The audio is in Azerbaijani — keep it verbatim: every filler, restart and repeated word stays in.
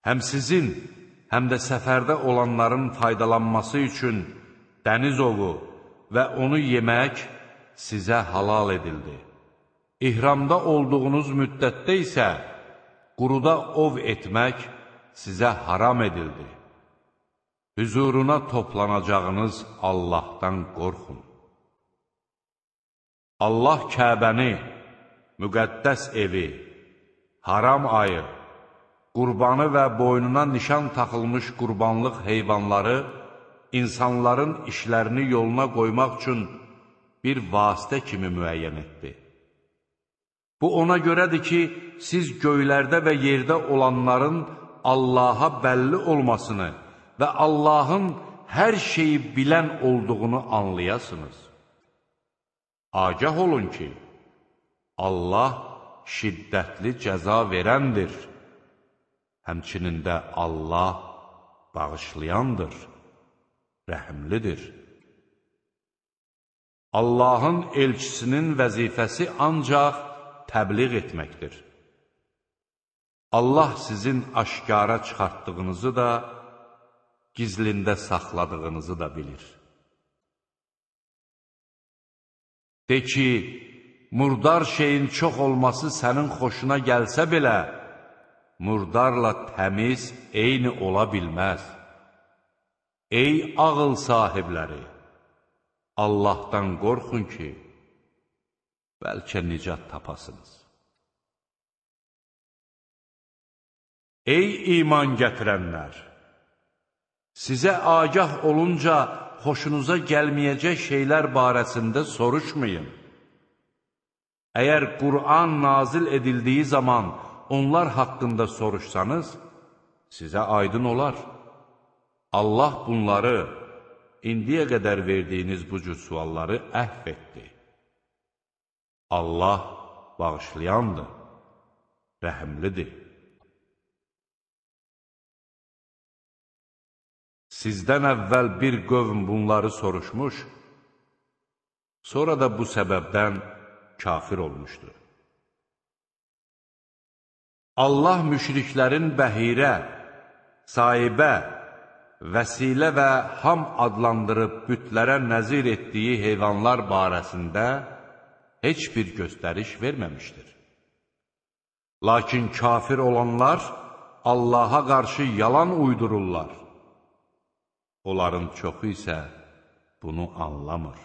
Həm sizin, həm də səfərdə olanların faydalanması üçün dəniz ovu və onu yemək sizə halal edildi. İhramda olduğunuz müddətdə isə quruda ov etmək sizə haram edildi. Hüzuruna toplanacağınız Allahdan qorxun. Allah Kəbəni, müqəddəs evi, haram ayı, qurbanı və boynuna nişan taxılmış qurbanlıq heyvanları insanların işlərini yoluna qoymaq üçün bir vasitə kimi müəyyən etdi. Bu ona görədir ki, siz göylərdə və yerdə olanların Allaha bəlli olmasını və Allahın hər şeyi bilən olduğunu anlayasınız. Agah olun ki, Allah şiddətli cəza verəndir. Həmçinin də Allah bağışlayandır, rəhimlidir. Allahın elçisinin vəzifəsi ancaq təbliğ etməkdir. Allah sizin aşkara çıxartdığınızı da, gizlində saxladığınızı da bilir. De ki, murdar şeyin çox olması sənin xoşuna gəlsə belə, murdarla təmiz eyni ola bilməz. Ey ağıl sahibləri! Allahdan qorxun ki, bəlkə nicat tapasınız. Ey iman gətirənlər! Sizə agah olunca xoşunuza gəlməyəcək şeylər barəsində soruşmayın. Əgər Qur'an nazil edildiyi zaman onlar haqqında soruşsanız, sizə aydın olar. Allah bunları, indiyə qədər verdiyiniz bu cür sualları əhv etdi. Allah bağışlayandır, rəhimlidir. Sizdən əvvəl bir qövm bunları soruşmuş, sonra da bu səbəbdən kafir olmuşdu. Allah müşriklərin bəhirə, sahibə, vəsilə və ham adlandırıb bütlərə nəzir etdiyi heyvanlar barəsində heç bir göstəriş verməmişdir. Lakin kafir olanlar Allaha qarşı yalan uydururlar. Onların çoxu isə bunu anlamır.